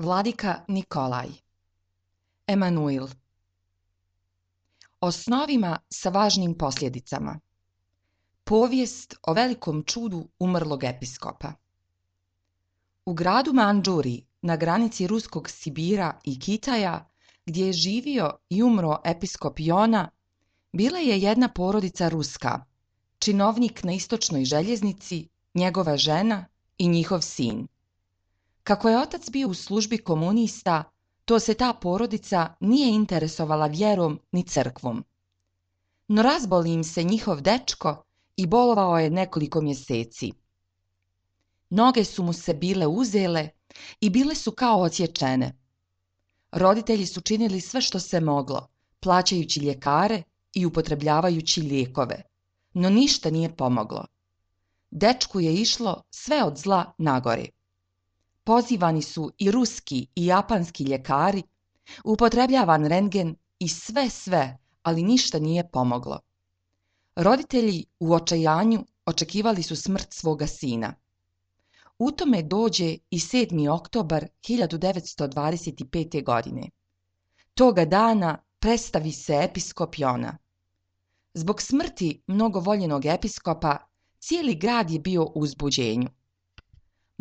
Vladika Nikolaj. Emanuil. O snovima sa važnim posljedicama. Povijest o velikom čudu umrlog episkopa. U gradu Mandžuri, na granici ruskog Sibira i Kitaja, gdje je živio i umro episkop Jona, bila je jedna porodica Ruska, činovnik na istočnoj željeznici, njegova žena i njihov sin. Kako je otac bio u službi komunista, to se ta porodica nije interesovala vjerom ni crkvom. No razboli im se njihov dečko i bolovao je nekoliko mjeseci. Noge su mu se bile uzele i bile su kao odsječene. Roditelji su činili sve što se moglo, plaćajući ljekare i upotrebljavajući lijekove, no ništa nije pomoglo. Dečku je išlo sve od zla nagore. Pozivani su i ruski i japanski ljekari, upotrebljavan rentgen i sve, ali ništa nije pomoglo. Roditelji u očajanju očekivali su smrt svoga sina. U tome dođe i 7. oktobar 1925. godine. Toga dana predstavi se episkop Jona. Zbog smrti mnogo voljenog episkopa, cijeli grad je bio u uzbuđenju.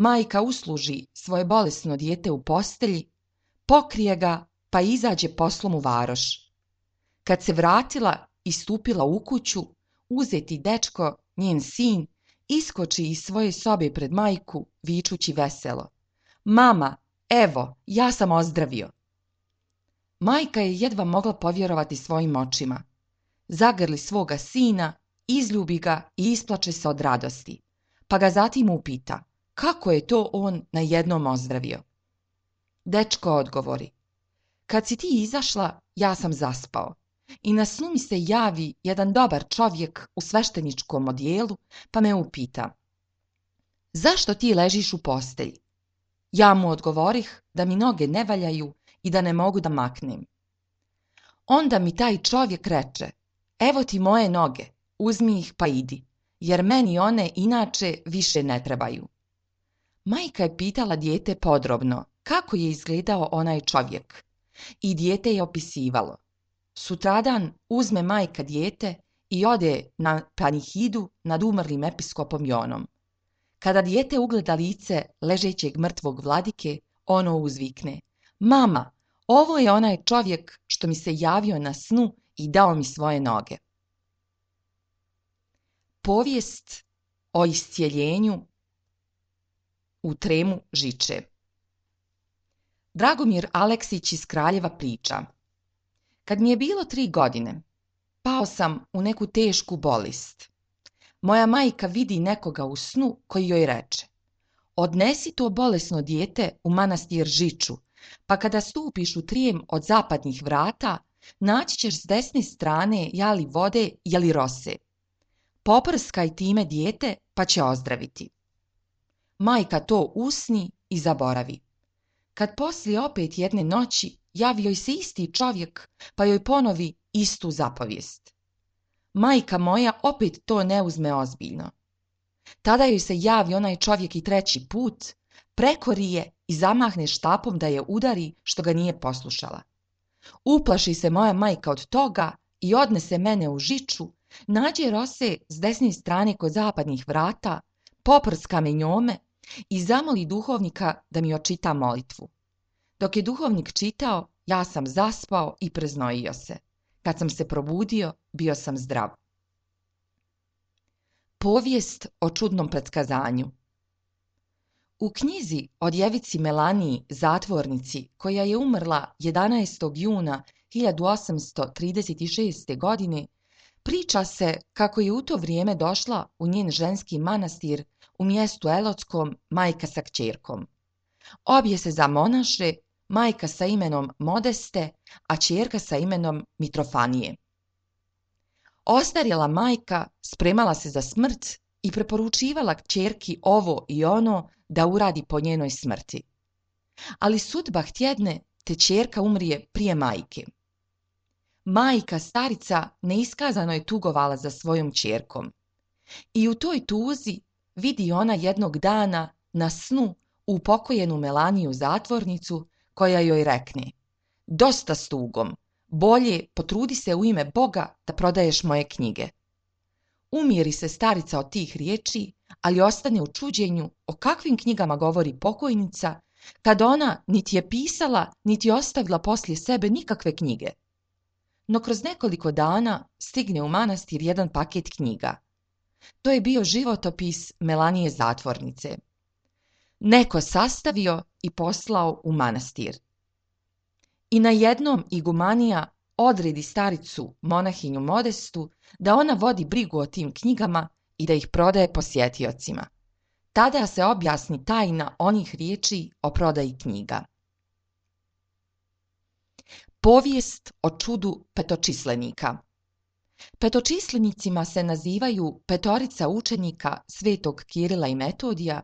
Majka usluži svoje bolesno dijete u postelji, pokrije ga pa izađe poslom u varoš. Kad se vratila i stupila u kuću, uzeti dečko, njen sin, iskoči iz svoje sobe pred majku, vičući veselo: "Mama, evo, ja sam ozdravio." Majka je jedva mogla povjerovati svojim očima. Zagrli svoga sina, izljubi ga i isplače se od radosti, pa ga zatim upita kako je to on najednom ozdravio. Dečko odgovori: "Kad si ti izašla, ja sam zaspao i na snu mi se javi jedan dobar čovjek u svešteničkom odijelu, pa me upita: zašto ti ležiš u postelji? Ja mu odgovorih da mi noge ne valjaju i da ne mogu da maknem. Onda mi taj čovjek reče: evo ti moje noge, uzmi ih pa idi, jer meni one inače više ne trebaju." Majka je pitala dijete podrobno kako je izgledao onaj čovjek i dijete je opisivalo. Sutradan uzme majka dijete i ode na panihidu nad umrlim episkopom Jonom. Kada dijete ugleda lice ležećeg mrtvog vladike, ono uzvikne: "Mama, ovo je onaj čovjek što mi se javio na snu i dao mi svoje noge." Povijest o iscijeljenju u Tremu Žiče. Dragomir Aleksić iz Kraljeva priča: kad mi je bilo 3 godine, pao sam u neku tešku bolest. Moja majka vidi nekoga u snu koji joj reče: odnesi to bolesno dijete u manastir Žiču, pa kada stupiš u Trijem od zapadnih vrata, naći ćeš s desne strane jali vode jeli rose. Poprskaj time dijete pa će ozdraviti. Majka to usni i zaboravi. Kad poslije opet jedne noći javi joj se isti čovjek pa joj ponovi istu zapovijest. Majka moja opet to ne uzme ozbiljno. Tada joj se javi onaj čovjek i 3. put, prekori je i zamahne štapom da je udari što ga nije poslušala. Uplaši se moja majka od toga i odnese mene u Žiču, nađe rose s desne strane kod zapadnih vrata, poprska me njome i zamoli duhovnika da mi očita molitvu. Dok je duhovnik čitao, ja sam zaspao i preznojio se. Kad sam se probudio, bio sam zdrav. Povijest o čudnom pretkazanju. U knjizi o djevici Melaniji, zatvornici, koja je umrla 11. juna 1836. godine, priča se kako je u to vrijeme došla u njen ženski manastir u mjestu Elotskom majka sa kćerkom. Obje se zamonaše, majka sa imenom Modeste, a kćerka sa imenom Mitrofanije. Ostarjela majka spremala se za smrt i preporučivala kćerki ovo i ono da uradi po njenoj smrti. Ali sudba htjedne te kćerka umrije prije majke. Majka starica neiskazano je tugovala za svojom kćerkom. I u toj tuzi vidi ona jednog dana na snu upokojenu Melaniju zatvornicu, koja joj rekne: dosta s tugom, bolje potrudi se u ime Boga da prodaješ moje knjige. Umiri se starica od tih riječi, ali ostane u čuđenju o kakvim knjigama govori pokojnica, kad ona niti je pisala, niti ostavila poslije sebe nikakve knjige. No kroz nekoliko dana stigne u manastir jedan paket knjiga. To je bio životopis Melanije zatvornice. Neko sastavio i poslao u manastir. I najednom igumanija odredi staricu monahinju Modestu da ona vodi brigu o tim knjigama i da ih prodaje posjetiocima. Tada se objasni tajna onih riječi o prodaji knjiga. Povijest o čudu petočislenika. Petočislenicima se nazivaju petorica učenika svetog Kirila i Metodija,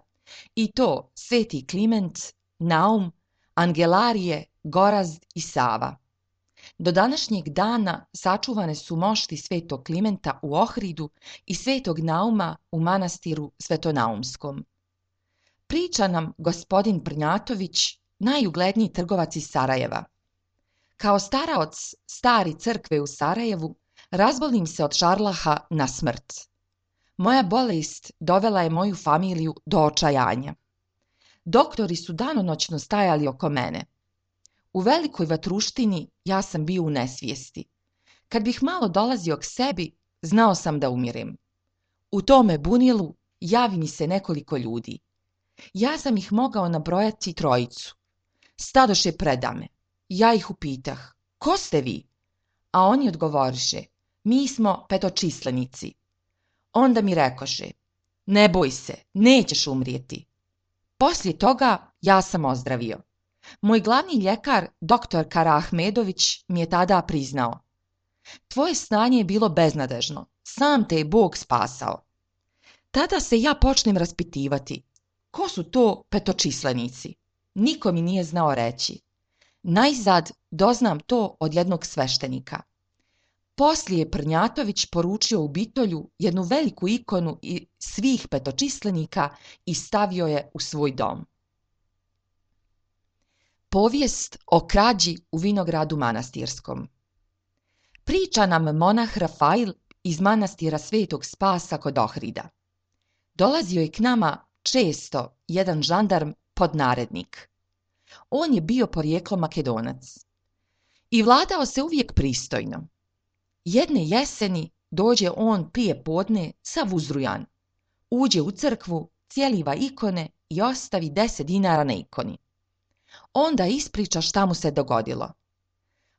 i to sveti Kliment, Naum, Angelarije, Gorazd i Sava. Do današnjeg dana sačuvane su mošti svetog Klimenta u Ohridu i svetog Nauma u manastiru Svetonaumskom. Priča nam gospodin Prnjatović, najugledniji trgovac iz Sarajeva. Kao staraoc stari crkve u Sarajevu, razbolim se od šarlaha na smrt. Moja bolest dovela je moju familiju do očajanja. Doktori su danonoćno stajali oko mene. U velikoj vatruštini ja sam bio u nesvijesti. Kad bih malo dolazio k sebi, znao sam da umirem. U tome bunilu javi mi se nekoliko ljudi. Ja sam ih mogao nabrojati trojicu. Stadoše predame. Ja ih upitah: ko ste vi? A oni odgovoriše: mi smo petočislenici. Onda mi rekoše: ne boj se, nećeš umrijeti. Poslije toga ja sam ozdravio. Moj glavni ljekar, doktor Karaahmedović, mi je tada priznao: tvoje stanje je bilo beznadežno, sam te je Bog spasao. Tada se ja počnem raspitivati: ko su to petočislenici? Niko mi nije znao reći. Najzad doznam to od jednog sveštenika. Poslije je Prnjatović poručio u Bitolju jednu veliku ikonu svih petočislenika i stavio je u svoj dom. Povijest o krađi u vinogradu manastirskom. Priča nam monah Rafail iz manastira Svetog Spasa kod Ohrida. Dolazio je k nama često jedan žandarm podnarednik. On je bio porijeklom Makedonac i vladao se uvijek pristojno. Jedne jeseni dođe on prije podne sav uzrujan, uđe u crkvu, cijeliva ikone i ostavi 10 dinara na ikoni. Onda ispriča šta mu se dogodilo.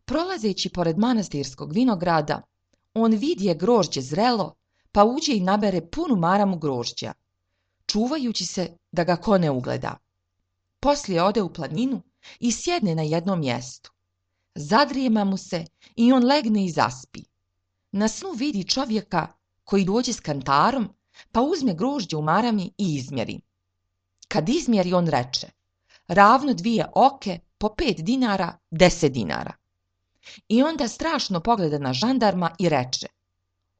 Prolazeći pored manastirskog vinograda, on vidje grožđe zrelo, pa uđe i nabere punu maramu grožđa, čuvajući se da ga ko ne ugleda. Poslije ode u planinu i sjedne na jednom mjestu. Zadrijema mu se i on legne i zaspi. Na snu vidi čovjeka koji dođe s kantarom, pa uzme grožđe u marami i izmjeri. Kad izmjeri, on reče: ravno 2 oke, po 5 dinara, 10 dinara. I onda strašno pogleda na žandarma i reče: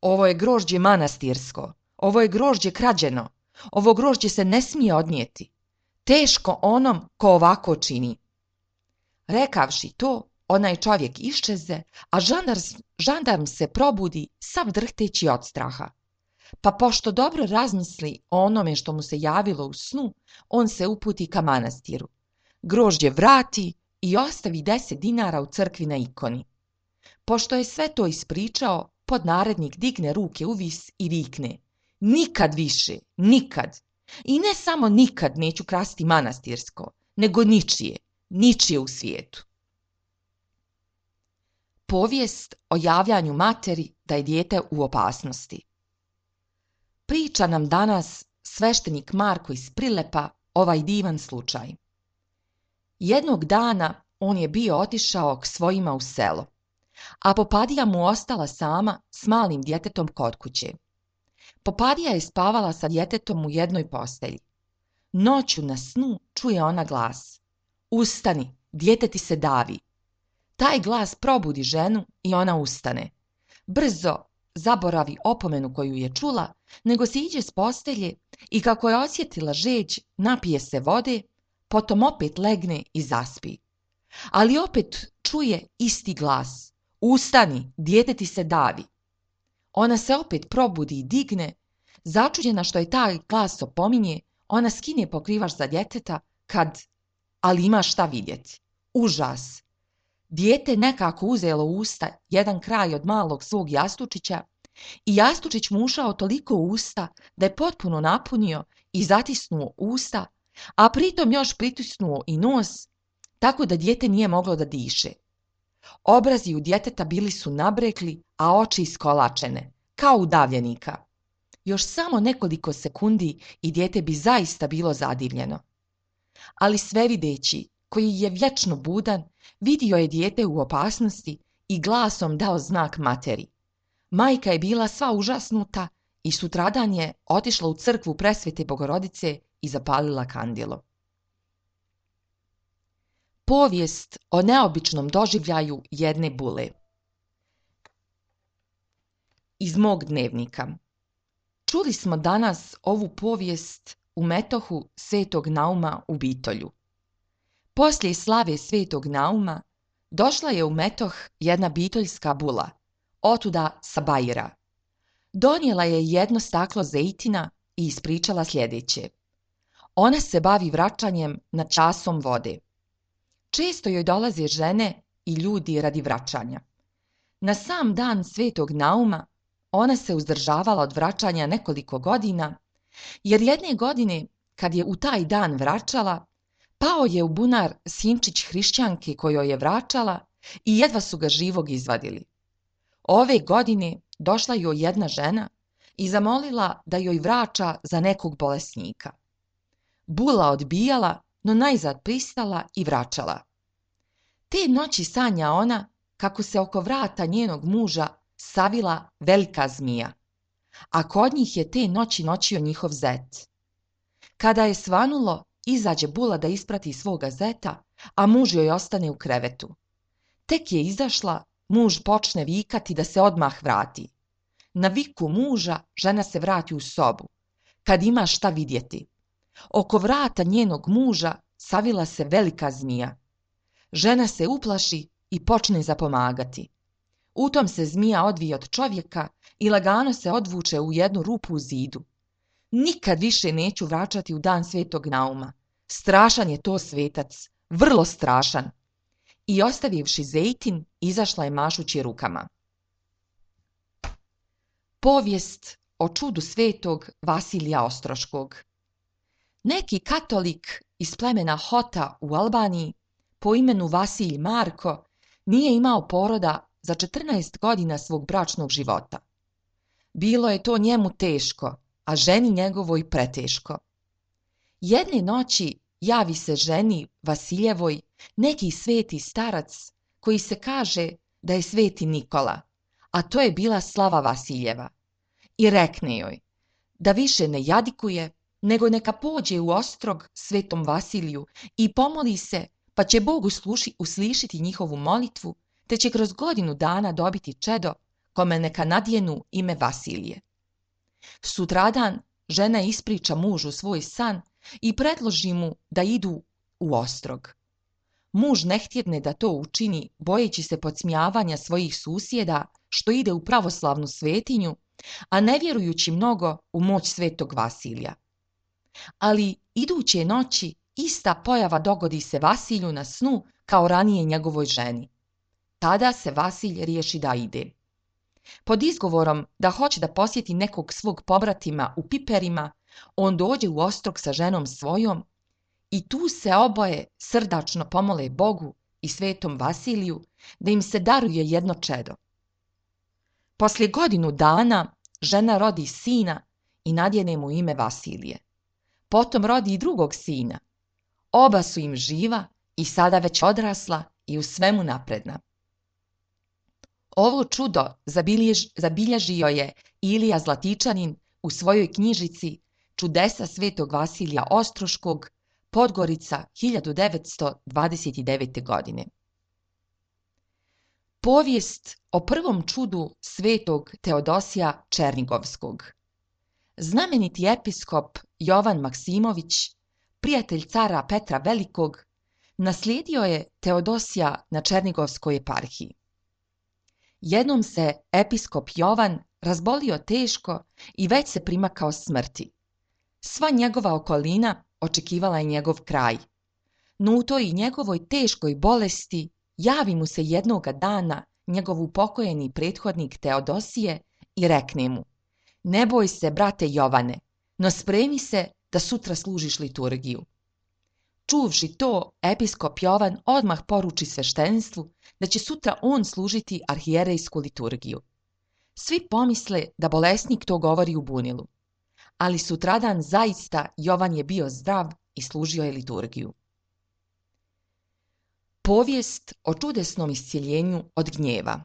ovo je grožđe manastirsko, ovo je grožđe krađeno, ovo grožđe se ne smije odnijeti. Teško onom ko ovako čini. Rekavši to, onaj čovjek iščeze, a žandarm se probudi sav drhteći od straha. Pa pošto dobro razmisli o onome što mu se javilo u snu, on se uputi ka manastiru. Grožđe vrati i ostavi 10 dinara u crkvi na ikoni. Pošto je sve to ispričao, podnarednik digne ruke uvis i vikne: nikad više, nikad! I ne samo nikad neću krasti manastirsko, nego ničije u svijetu. Povijest o javljanju materi da je dijete u opasnosti. Priča nam danas sveštenik Marko iz Prilepa ovaj divan slučaj. Jednog dana on je bio otišao k svojima u selo, a Popadija mu ostala sama s malim djetetom kod kuće. Popadija je spavala sa djetetom u jednoj postelji. Noću na snu čuje ona glas: ustani, dijete ti se davi. Taj glas probudi ženu i ona ustane. Brzo zaboravi opomenu koju je čula, nego se iđe s postelje i kako je osjetila žeđ, napije se vode, potom opet legne i zaspi. Ali opet čuje isti glas. Ustani, dijete ti se davi. Ona se opet probudi i digne. Začuđena što je taj glas opominje, ona skine pokrivač za djeteta ali ima šta vidjeti. Užas. Dijete nekako uzelo u usta jedan kraj od malog svog jastučića i jastučić mu ušao toliko u usta da je potpuno napunio i zatisnuo usta, a pritom još pritisnuo i nos, tako da dijete nije moglo da diše. Obrazi u djeteta bili su nabrekli, a oči iskolačene, kao udavljenika. Još samo nekoliko sekundi i dijete bi zaista bilo zadivljeno. Ali svevideći, koji je vječno budan, vidio je dijete u opasnosti i glasom dao znak materi. Majka je bila sva užasnuta i sutradan je otišla u crkvu Presvete Bogorodice i zapalila kandilo. Povijest o neobičnom doživljaju jedne bule. Iz mog dnevnika. Čuli smo danas ovu povijest u metohu Svetog Nauma u Bitolju. Poslije slave Svetog Nauma došla je u metoh jedna bitoljska bula, otuda sa Bajira. Donijela je jedno staklo zejtina i ispričala sljedeće. Ona se bavi vraćanjem nad časom vode. Često joj dolaze žene i ljudi radi vraćanja. Na sam dan Svetog Nauma ona se uzdržavala od vraćanja nekoliko godina, jer jedne godine, kad je u taj dan vraćala, pao je u bunar sinčić hrišćanke kojoj je vraćala i jedva su ga živog izvadili. Ove godine došla joj jedna žena i zamolila da joj vraća za nekog bolesnika. Bula odbijala, no najzad pristala i vraćala. Te noći sanja ona kako se oko vrata njenog muža savila velika zmija, a kod njih je te noći noćio njihov zet. Kada je svanulo, izađe bula da isprati svoga zeta, a muž joj ostane u krevetu. Tek je izašla, muž počne vikati da se odmah vrati. Na viku muža žena se vrati u sobu, kad ima šta vidjeti. Oko vrata njenog muža savila se velika zmija. Žena se uplaši i počne zapomagati. U tom se zmija odvije od čovjeka i lagano se odvuče u jednu rupu u zidu. Nikad više neću vraćati u dan Svetog Nauma. Strašan je to svetac, vrlo strašan. I ostavivši zejtin, izašla je mašući rukama. Povijest o čudu svetog Vasilija Ostroškog. Neki katolik iz plemena Hota u Albaniji po imenu Vasilij Marko nije imao poroda za 14 godina svog bračnog života. Bilo je to njemu teško, a ženi njegovoj preteško. Jedne noći javi se ženi Vasiljevoj neki sveti starac koji se kaže da je sveti Nikola, a to je bila slava Vasiljeva. I rekne joj da više ne jadikuje, nego neka pođe u Ostrog svetom Vasiliju i pomoli se, pa će Bog uslišiti njihovu molitvu, te će kroz godinu dana dobiti čedo kome neka nadjenu ime Vasilije. Sutradan žena ispriča mužu svoj san i predloži mu da idu u Ostrog. Muž ne htjedne da to učini, bojeći se podsmijavanja svojih susjeda što ide u pravoslavnu svetinju, a ne vjerujući mnogo u moć svetog Vasilija. Ali iduće noći ista pojava dogodi se Vasilju na snu kao ranije njegovoj ženi. Tada se Vasilj riješi da ide. Pod izgovorom da hoće da posjeti nekog svog pobratima u Piperima, on dođe u Ostrog sa ženom svojom i tu se oboje srdačno pomole Bogu i svetom Vasiliju da im se daruje jedno čedo. Poslije godinu dana žena rodi sina i nadjene mu ime Vasilije. Potom rodi i drugog sina. Oba su im živa i sada već odrasla i u svemu napredna. Ovo čudo zabilježio je Ilija Zlatičanin u svojoj knjižici Čudesa svetog Vasilija Ostroškog, Podgorica, 1929. godine. Povijest o prvom čudu svetog Teodosija Černigovskog. Znameniti episkop Jovan Maksimović prijatelj cara Petra Velikog, naslijedio je Teodosija na Černigovskoj eparhiji. Jednom se episkop Jovan razbolio teško i već se primakao smrti. Sva njegova okolina očekivala je njegov kraj. No u toj njegovoj teškoj bolesti javi mu se jednoga dana njegov upokojeni prethodnik Teodosije i rekne mu: ne boj se, brate Jovane, no spremi se da sutra služiš liturgiju. Čuvši to, episkop Jovan odmah poruči sveštenstvu da će sutra on služiti arhijerejsku liturgiju. Svi pomisle da bolesnik to govori u bunilu, ali sutradan zaista Jovan je bio zdrav i služio je liturgiju. Povijest o čudesnom iscjeljenju od gnjeva.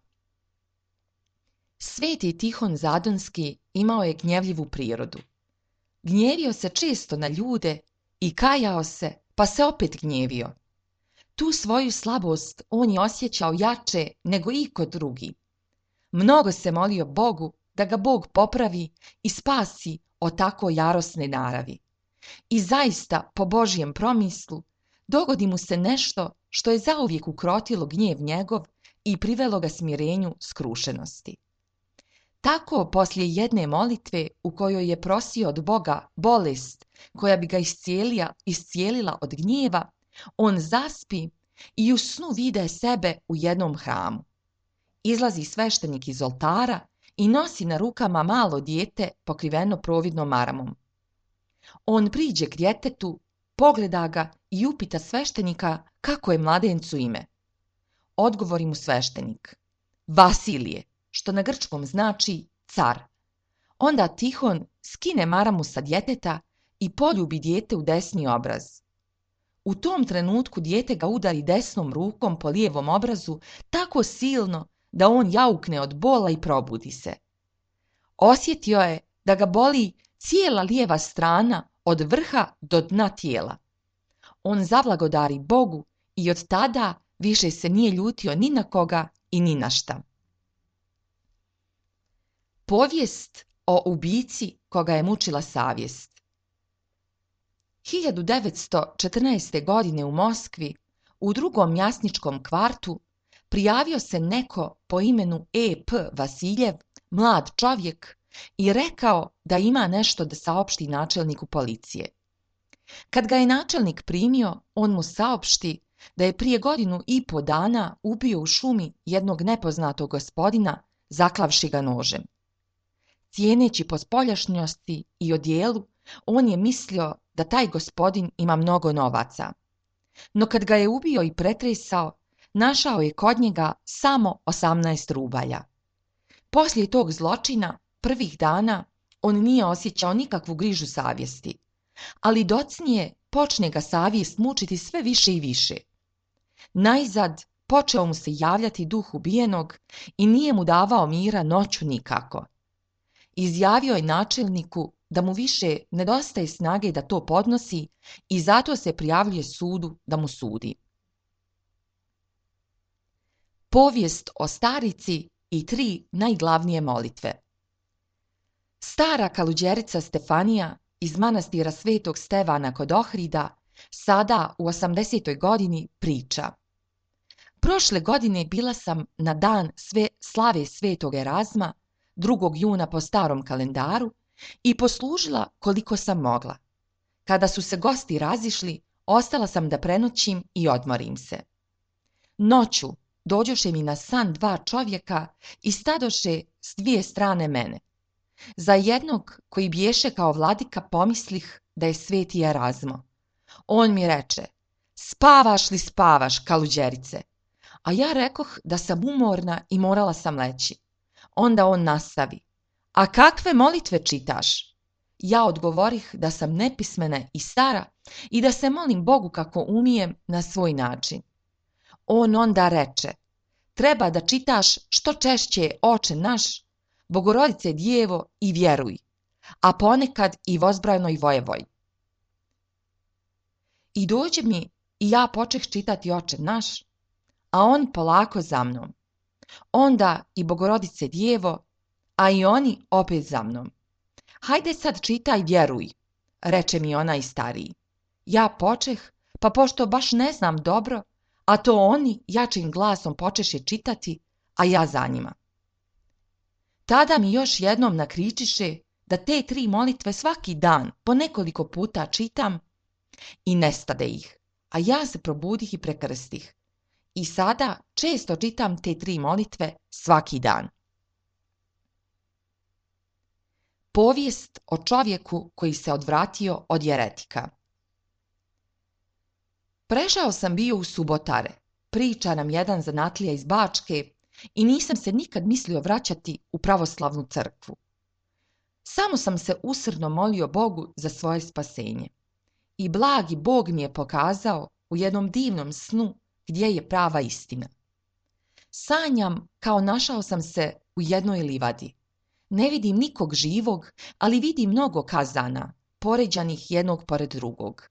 Sveti Tihon Zadonski imao je gnjevljivu prirodu. Gnjevio se često na ljude i kajao se, pa se opet gnjevio. Tu svoju slabost on je osjećao jače nego iko drugi. Mnogo se molio Bogu da ga Bog popravi i spasi od tako jarosne naravi. I zaista, po Božjem promislu, dogodi mu se nešto što je zauvijek ukrotilo gnjev njegov i privelo ga smirenju skrušenosti. Tako, poslije jedne molitve u kojoj je prosio od Boga bolest koja bi ga iscijelila od gnjeva, on zaspi i u snu vide sebe u jednom hramu. Izlazi sveštenik iz oltara i nosi na rukama malo dijete pokriveno providnom maramom. On priđe k djetetu, pogleda ga i upita sveštenika kako je mladencu ime. Odgovori mu sveštenik: Vasilije, što na grčkom znači car. Onda Tihon skine maramu sa djeteta i poljubi dijete u desni obraz. U tom trenutku dijete ga udari desnom rukom po lijevom obrazu tako silno da on jaukne od bola i probudi se. Osjetio je da ga boli cijela lijeva strana od vrha do dna tijela. On zablagodari Bogu i od tada više se nije ljutio ni na koga i ni na šta. Povijest o ubici koga je mučila savjest. 1914. godine u Moskvi, u drugom jasničkom kvartu, prijavio se neko po imenu E.P. Vasiljev, mlad čovjek, i rekao da ima nešto da saopšti načelniku policije. Kad ga je načelnik primio, on mu saopšti da je prije 1,5 dana ubio u šumi jednog nepoznatog gospodina, zaklavši ga nožem. Cijeneći po spoljašnjosti i odjelu, on je mislio da taj gospodin ima mnogo novaca. No kad ga je ubio i pretresao, našao je kod njega samo 18 rubalja. Poslije tog zločina, prvih dana, on nije osjećao nikakvu grižu savjesti, ali docnije počne ga savjest mučiti sve više i više. Najzad počeo mu se javljati duh ubijenog i nije mu davao mira noću nikako. Izjavio je načelniku da mu više nedostaje snage da to podnosi i zato se prijavljuje sudu da mu sudi. Povijest o starici i 3 najglavnije molitve. Stara kaluđerica Stefanija iz manastira Svetog Stevana kod Ohrida, sada u 80. godini, priča: Prošle godine bila sam na dan slave Svetog Erazma, 2. juna po starom kalendaru, i poslužila koliko sam mogla. Kada su se gosti razišli, ostala sam da prenoćim i odmorim se. Noću dođoše mi na san 2 čovjeka i stadoše s 2 strane mene. Za jednog, koji biješe kao vladika, pomislih da je sveti Erazmo. On mi reče: Spavaš li spavaš, kaluđerice? A ja rekoh da sam umorna i morala sam leći. Onda on nastavi: A kakve molitve čitaš? Ja odgovorih da sam nepismena i stara i da se molim Bogu kako umijem na svoj način. On onda reče: Treba da čitaš što češće Oče naš, Bogorodice Djevo i vjeruj, a ponekad i Vozbrajnoj Vojevoj. I dođe mi i ja počeh čitati Oče naš, a on polako za mnom. Onda i Bogorodice Djevo, a i oni opet za mnom. Hajde sad čitaj vjeruj, reče mi onaj stariji. Ja počeh, pa pošto baš ne znam dobro, a to oni jačim glasom počeše čitati, a ja za njima. Tada mi još jednom nakričiše da te 3 molitve svaki dan po nekoliko puta čitam i nestade ih, a ja se probudih i prekrstih. I sada često čitam te 3 molitve svaki dan. Povijest o čovjeku koji se odvratio od jeretika. Prešao sam bio u Subotare, priča nam jedan zanatlija iz Bačke, i nisam se nikad mislio vraćati u pravoslavnu crkvu. Samo sam se usrdno molio Bogu za svoje spasenje. I blagi Bog mi je pokazao u jednom divnom snu gdje je prava istina. Sanjam kao našao sam se u jednoj livadi. Ne vidim nikog živog, ali vidim mnogo kazana, poređanih jednog pored drugog.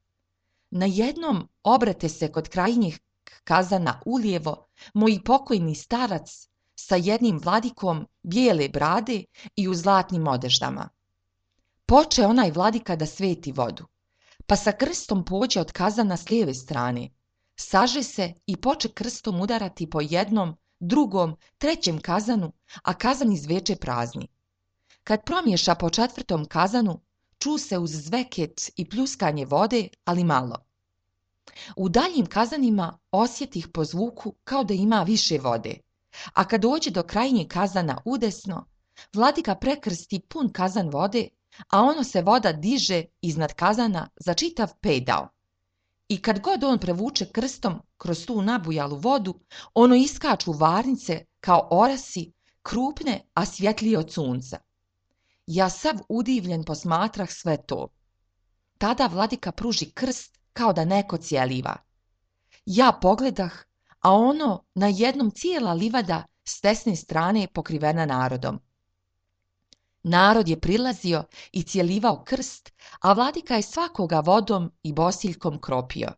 Na jednom obrate se kod krajnjih kazana ulijevo moj pokojni starac sa jednim vladikom bijele brade i u zlatnim odeždama. Poče onaj vladika da sveti vodu, pa sa krstom pođe od kazana s lijeve strane, saže se i poče krstom udarati po jednom, drugom, trećem kazanu, a kazan izveče prazni. Kad promješa po 4. kazanu, ču se uz zveket i pljuskanje vode, ali malo. U daljim kazanima osjetih po zvuku kao da ima više vode, a kad dođe do krajnjeg kazana udesno, vladika prekrsti pun kazan vode, a ono se voda diže iznad kazana za čitav pedao. I kad god on prevuče krstom kroz tu nabujalu vodu, ono iskaču varnice kao orasi, krupne, a svjetlije od sunca. Ja sav udivljen posmatrah sve to. Tada vladika pruži krst kao da neko cijeliva. Ja pogledah, a ono na jednom cijela livada s desne strane pokrivena narodom. Narod je prilazio i cijelivao krst, a vladika je svakoga vodom i bosiljkom kropio.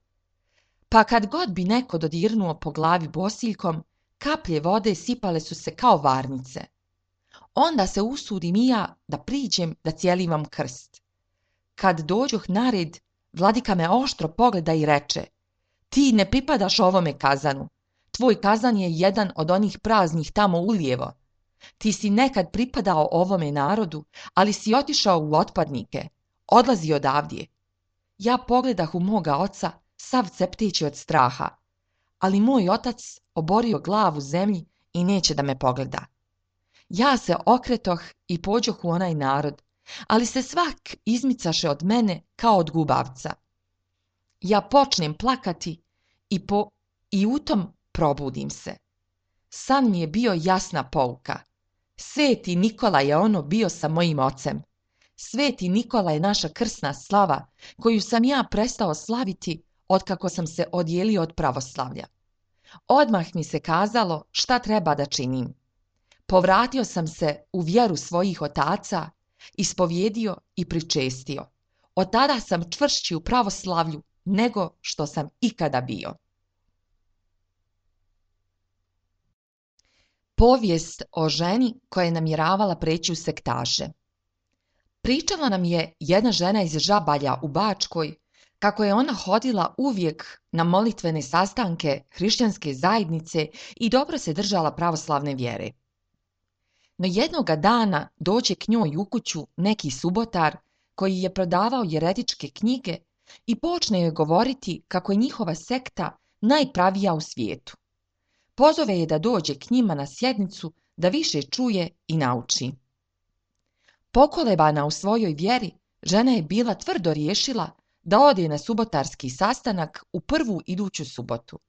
Pa kad god bi neko dodirnuo po glavi bosiljkom, kaplje vode sipale su se kao varnice. Onda se usudim i ja da priđem da cijelivam krst. Kad dođoh na red, vladika me oštro pogleda i reče: ti ne pripadaš ovome kazanu, tvoj kazan je jedan od onih praznih tamo ulijevo. Ti si nekad pripadao ovome narodu, ali si otišao u otpadnike, odlazi odavdje. Ja pogledah u moga oca, sav cepteći od straha, ali moj otac oborio glavu zemlji i neće da me pogleda. Ja se okretoh i pođoh u onaj narod, ali se svak izmicaše od mene kao od gubavca. Ja počnem plakati i u tom probudim se. San mi je bio jasna pouka. Sveti Nikola je ono bio sa mojim ocem. Sveti Nikola je naša krsna slava, koju sam ja prestao slaviti otkako sam se odijelio od pravoslavlja. Odmah mi se kazalo šta treba da činim. Povratio sam se u vjeru svojih otaca, ispovjedio i pričestio. Od tada sam čvršći u pravoslavlju nego što sam ikada bio. Povijest o ženi koja je namjeravala preći u sektaše. Pričala nam je jedna žena iz Žabalja u Bačkoj kako je ona hodila uvijek na molitvene sastanke hrišćanske zajednice i dobro se držala pravoslavne vjere. No jednoga dana dođe k njoj u kuću neki subotar koji je prodavao jeretičke knjige i počne joj govoriti kako je njihova sekta najpravija u svijetu. Pozove je da dođe k njima na sjednicu da više čuje i nauči. Pokolebana u svojoj vjeri, žena je bila tvrdo riješila da ode na subotarski sastanak u prvu iduću subotu.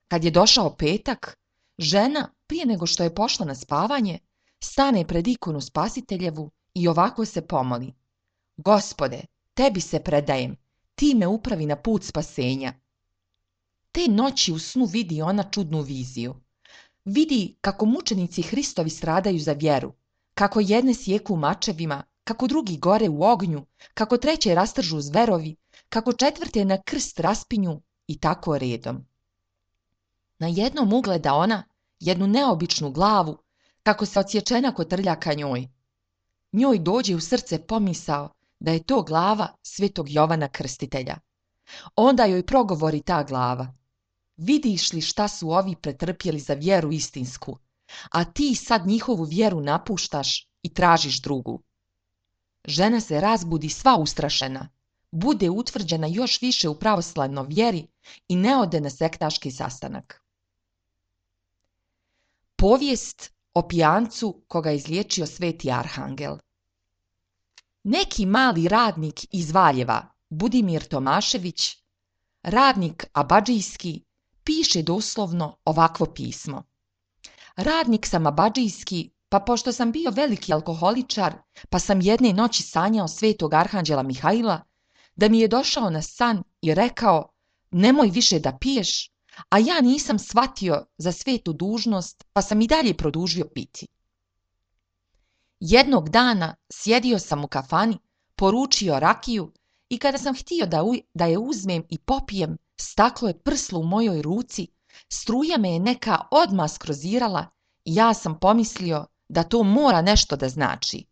Kad je došao petak, žena, prije nego što je pošla na spavanje, stane pred ikonu Spasiteljevu i ovako se pomoli: Gospode, tebi se predajem, ti me upravi na put spasenja. Te noći u snu vidi ona čudnu viziju. Vidi kako mučenici Hristovi stradaju za vjeru, kako jedne sjeku mačevima, kako drugi gore u ognju, kako treće rastržu zverovi, kako četvrte na krst raspinju i tako redom. Na jednom ugleda ona jednu neobičnu glavu, kako se odsječena kotrlja ka njoj. Njoj dođe u srce pomisao da je to glava svetog Jovana Krstitelja. Onda joj progovori ta glava: vidiš li šta su ovi pretrpjeli za vjeru istinsku, a ti sad njihovu vjeru napuštaš i tražiš drugu. Žena se razbudi sva ustrašena, bude utvrđena još više u pravoslavnoj vjeri i ne ode na sektaški sastanak. Povijest o pijancu koga je izliječio sveti arhangel. Neki mali radnik iz Valjeva, Budimir Tomašević, radnik abadžijski, piše doslovno ovakvo pismo. Radnik sam abadžijski, pa pošto sam bio veliki alkoholičar, pa sam jedne noći sanjao svetog arhanđela Mihaila, da mi je došao na san i rekao: nemoj više da piješ, a ja nisam shvatio za svetu dužnost, pa sam i dalje produžio piti. Jednog dana sjedio sam u kafani, poručio rakiju i kada sam htio da je uzmem i popijem, staklo je prslo u mojoj ruci, struja me je neka odmah skrozirala i ja sam pomislio da to mora nešto da znači.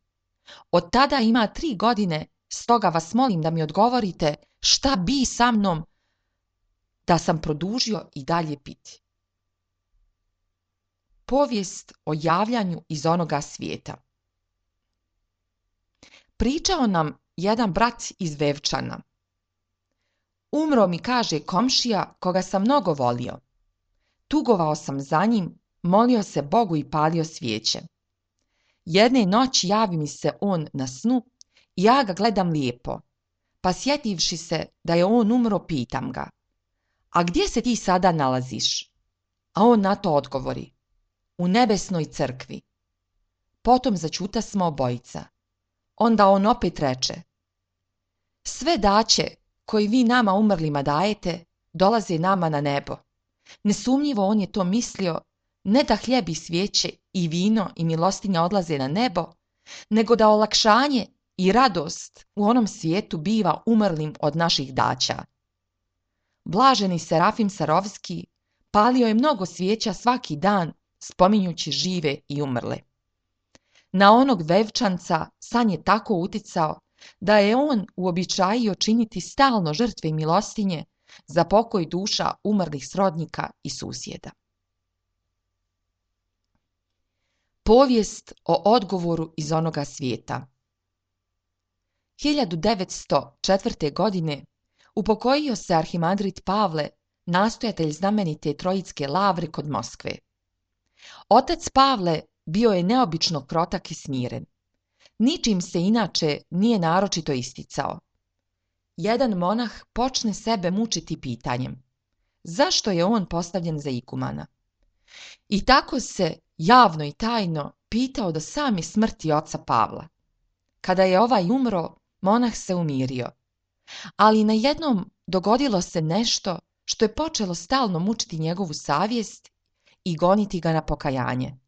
Od tada ima 3 godine, stoga vas molim da mi odgovorite šta bi sa mnom da sam produžio i dalje piti. Povijest o javljanju iz onoga svijeta. Pričao nam jedan brat iz Vevčana. Umro mi, kaže, komšija koga sam mnogo volio. Tugovao sam za njim, molio se Bogu i palio svijeće. Jedne noći javi mi se on na snu i ja ga gledam lijepo, pa sjetivši se da je on umro, pitam ga: a gdje se ti sada nalaziš? A on na to odgovori: u nebesnoj crkvi. Potom začutasmo obojica. Onda on opet reče: sve daće koji vi nama umrlima dajete, dolaze nama na nebo. Nesumnjivo on je to mislio, ne da hljeb i svijeće i vino i milostinja odlaze na nebo, nego da olakšanje i radost u onom svijetu biva umrlim od naših daća. Blaženi Serafim Sarovski palio je mnogo svijeća svaki dan, spominjući žive i umrle. Na onog Vevčanca san je tako uticao da je on uobičajio činiti stalno žrtve i milostinje za pokoj duša umrlih srodnika i susjeda. Povijest o odgovoru iz onoga svijeta. 1904. godine upokojio se arhimandrit Pavle, nastojatelj znamenite Trojitske lavre kod Moskve. Otac Pavle bio je neobično krotak i smiren. Ničim se inače nije naročito isticao. Jedan monah počne sebe mučiti pitanjem: zašto je on postavljen za igumana? I tako se javno i tajno pitao do same smrti oca Pavla. Kada je ovaj umro, monah se umirio. Ali najednom dogodilo se nešto što je počelo stalno mučiti njegovu savjest i goniti ga na pokajanje.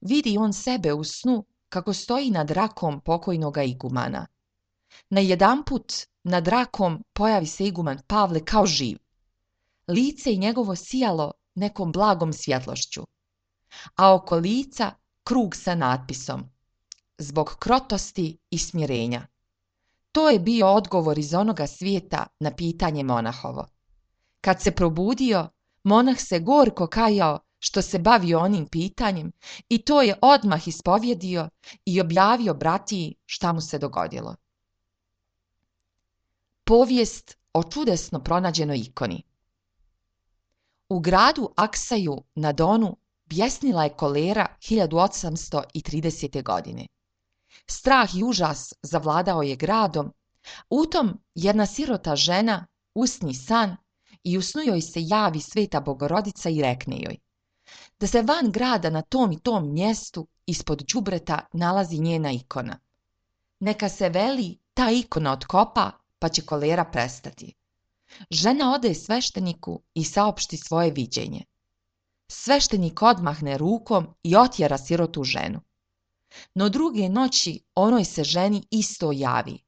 Vidi on sebe u snu kako stoji nad rakom pokojnoga igumana. Najedanput nad rakom pojavi se iguman Pavle kao živ. Lice i njegovo sijalo nekom blagom svjetlošću, a oko lica krug sa natpisom: zbog krotosti i smirenja. To je bio odgovor iz onoga svijeta na pitanje monahovo. Kad se probudio, monah se gorko kajao što se bavio onim pitanjem i to je odmah ispovjedio i objavio bratiji šta mu se dogodilo. Povijest o čudesno pronađenoj ikoni. U gradu Aksaju na Donu bjesnila je kolera 1830. godine. Strah i užas zavladao je gradom. U tom jedna sirota žena usni san i u snu joj se javi Sveta Bogorodica i rekne joj da se van grada na tom i tom mjestu ispod đubreta nalazi njena ikona. Neka se veli ta ikona otkopa, pa će kolera prestati. Žena ode svešteniku i saopšti svoje viđenje. Sveštenik odmahne rukom i otjera sirotu ženu. No druge noći onoj se ženi isto javi.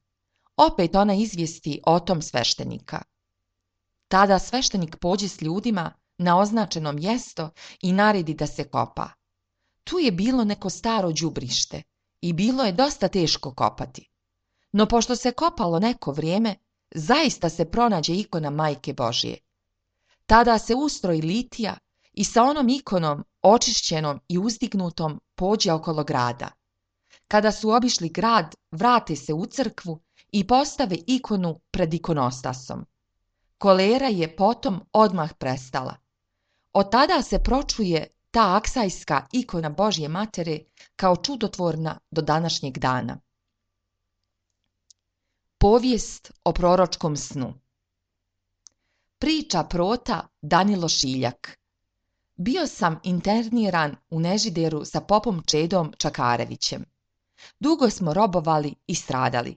Opet ona izvijesti o tom sveštenika. Tada sveštenik pođe s ljudima na označeno mjesto i naredi da se kopa. Tu je bilo neko staro đubrište i bilo je dosta teško kopati. No pošto se kopalo neko vrijeme, zaista se pronađe ikona Majke Božje. Tada se ustroji litija i sa onom ikonom očišćenom i uzdignutom pođe okolo grada. Kada su obišli grad, vrate se u crkvu i postave ikonu pred ikonostasom. Kolera je potom odmah prestala. Od tada se pročuje ta aksajska ikona Božje Matere kao čudotvorna do današnjeg dana. Povijest o proročkom snu. Priča prota Danilo Šiljak. Bio sam interniran u Nežideru sa popom Čedom Čakarevićem. Dugo smo robovali i stradali.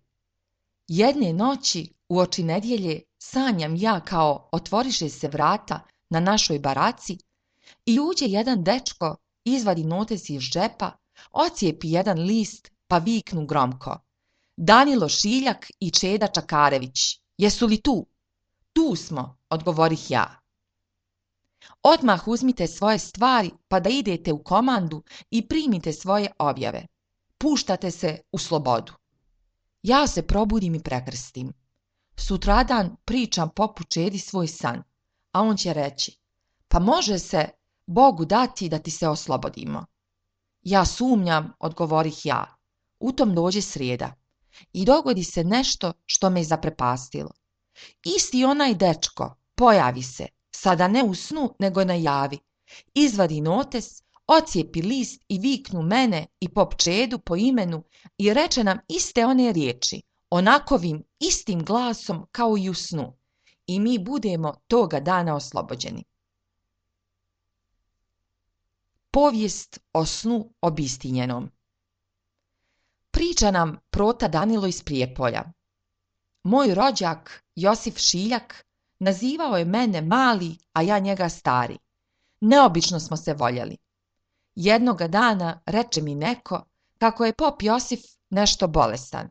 Jedne noći uoči nedjelje sanjam ja kao otvoriše se vrata na našoj baraci i uđe jedan dečko, izvadi notes iz džepa, ocijepi jedan list pa viknu gromko: Danilo Šiljak i Čeda Čakarević, jesu li tu? Tu smo, odgovorih ja. Odmah uzmite svoje stvari pa da idete u komandu i primite svoje objave. Puštate se u slobodu. Ja se probudim i prekrstim. Sutradan pričam popu Čedi svoj san, a on će reći: pa može se Bogu dati da ti se oslobodimo. Ja sumnjam, odgovorih ja. U tom dođe srijeda i dogodi se nešto što me zaprepastilo. Isti onaj dečko pojavi se, sada ne u snu nego na javi, izvadi notes, ocijepi list i viknu mene i pop Čedu po imenu i reče nam iste one riječi, onakovim istim glasom kao i u snu, i mi budemo toga dana oslobođeni. Povijest o snu obistinjenom. Priča nam prota Danilo iz Prijepolja. Moj rođak Josif Šiljak nazivao je mene mali, a ja njega stari. Neobično smo se voljeli. Jednoga dana reče mi neko kako je pop Josif nešto bolestan.